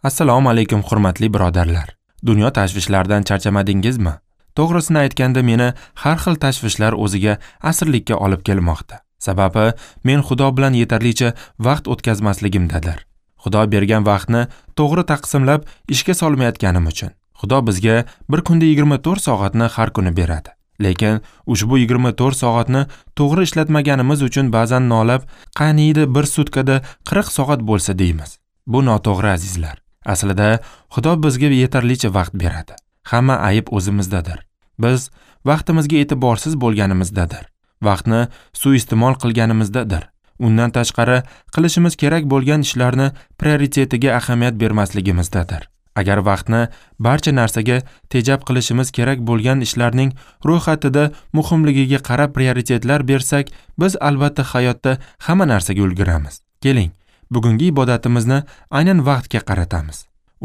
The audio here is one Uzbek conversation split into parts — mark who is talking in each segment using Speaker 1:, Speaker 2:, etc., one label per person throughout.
Speaker 1: Assalomu alaykum hurmatli birodarlar. Dunyo tashvishlaridan charchamadingizmi? To'g'risini aytganda meni har xil tashvishlar o'ziga asirlikka olib kelmoqda. Sababi men Xudo bilan yetarlicha vaqt o'tkazmasligimdadir. Xudo bergan vaqtni to'g'ri taqsimlab ishga solmayotganim uchun. Xudo bizga bir kunda 24 soatni har kuni beradi. Lekin ushbu 24 soatni to'g'ri ishlatmaganimiz uchun ba'zan nolab, qaniydi bir sutkada 40 soat bo'lsa deymiz. Bu noto'g'ri azizlar. Aslida Xudo bizga yetarlicha vaqt beradi. Hamma ayib o'zimizdadir. Biz vaqtimizga e'tiborsiz bo'lganimizdadir. Vaqtni suiiste'mol qilganimizdadir. Undan tashqari qilishimiz kerak bo'lgan ishlarni prioritetiga ahamiyat bermasligimizdadir. Agar vaqtni barcha narsaga tejab qilishimiz kerak bo'lgan ishlarning ro'yxatida muhimligiga qarab prioritetlar bersak, biz albatta hayotda hamma narsaga ulguramiz. Keling, bugungi ibodatimizni aynan vaqtga qaratamiz.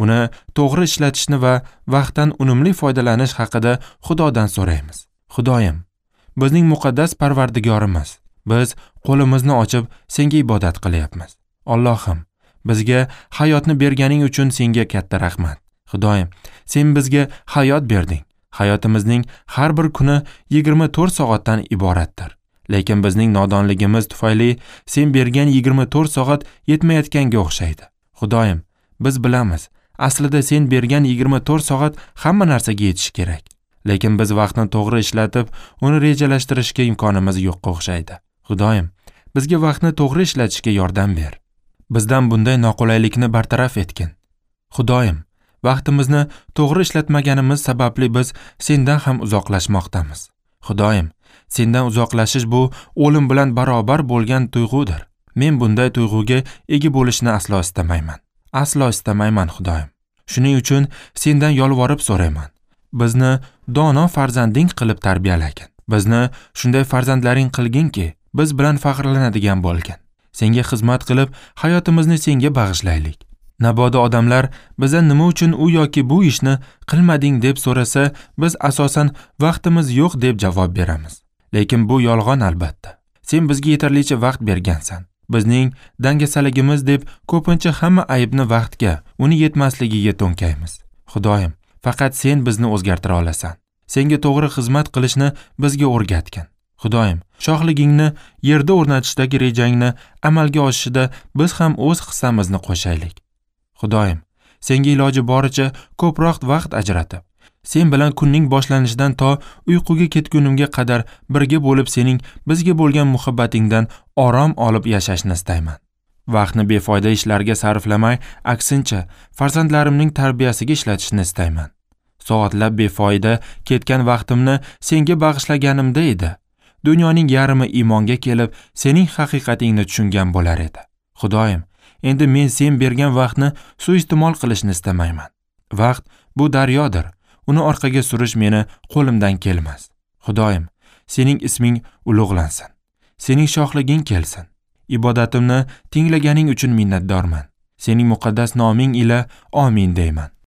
Speaker 1: Uni to'g'ri ishlatishni va vaqtdan unumli foydalanish haqida Xudodan so'raymiz. Xudoyim, bizning muqaddas Parvardigorimiz, biz qo'limizni ochib senga ibodat qilyapmiz. Allohim, bizga hayotni berganing uchun senga katta rahmat. Xudoyim, sen bizga hayot berding. Hayotimizning har bir kuni 24 soatdan iboratdir. Lekin bizning nodonligimiz tufayli sen bergan 24 soat yetmayotganga o'xshaydi. Xudoyim, biz bilamiz, aslida sen bergan 24 soat hamma narsaga yetishi kerak. Lekin biz vaqtni to'g'ri ishlatib, uni rejalashtirishga imkonimiz yo'qqa o'xshaydi. Xudoyim, bizga vaqtni to'g'ri ishlatishga yordam ber. Bizdan bunday noqulaylikni bartaraf etgin. Xudoyim, vaqtimizni to'g'ri ishlatmaganimiz sababli biz sendan ham uzoqlashmoqdamiz. Xudoyim, sendan uzoqlashish bu o'lim bilan barobar bo'lgan tuyg'udir. Men bunday tuyg'uga ega bo'lishni aslo istamayman. Aslo istamayman, Xudoyim. Shuning uchun sendan yolvorib so'rayman. Bizni dono farzanding qilib tarbiyalagin. Bizni shunday farzandlaring qilginki, biz bilan faxrlanadigan bo'lgin. Senga xizmat qilib, hayotimizni senga bag'ishlaylik. Nabodo odamlar bizdan nima uchun u yoki bu ishni qilmading deb so'rasa, biz asosan vaqtimiz yo'q deb javob beramiz. Lekin bu yolg'on albatta. Sen bizga yetarlicha vaqt bergansan. Bizning dangasaligimiz deb ko'pincha hamma aybni vaqtga, uni yetmasligiga to'nkaymiz. Xudoyim, faqat sen bizni o'zgartira olasan. Senga to'g'ri xizmat qilishni bizga o'rgatgin. Xudoyim, shohligingni yerda o'rnatishdagi rejangni amalga oshishida biz ham o'z hissamizni qo'shaylik. Xudoyim, senga iloji boricha ko'proq vaqt ajratib, sen bilan kunning boshlanishidan to uyquga ketgunimga qadar birga bo'lib sening bizga bo'lgan muhabbatingdan orom olib yashashni istayman. Vaqtni befoyda ishlarga sarflamay, aksincha farzandlarimning tarbiyasiga ishlatishni istayman. Soatlab befoyda ketgan vaqtimni senga bag'ishlaganimda edi, dunyoning yarmi iymonga kelib, sening haqiqatingni tushungan bo'lar edi. Xudoyim, endi men sen bergan vaqtni suiiste'mol qilishni istamayman. Vaqt bu daryodir. Uni orqaga surish meni qo'limdan kelmas. Xudoyim, sening isming ulug'lansin. Sening shohliging kelsin. Ibodatimni tinglaganing uchun minnatdorman. Sening muqaddas noming ila amin deyman.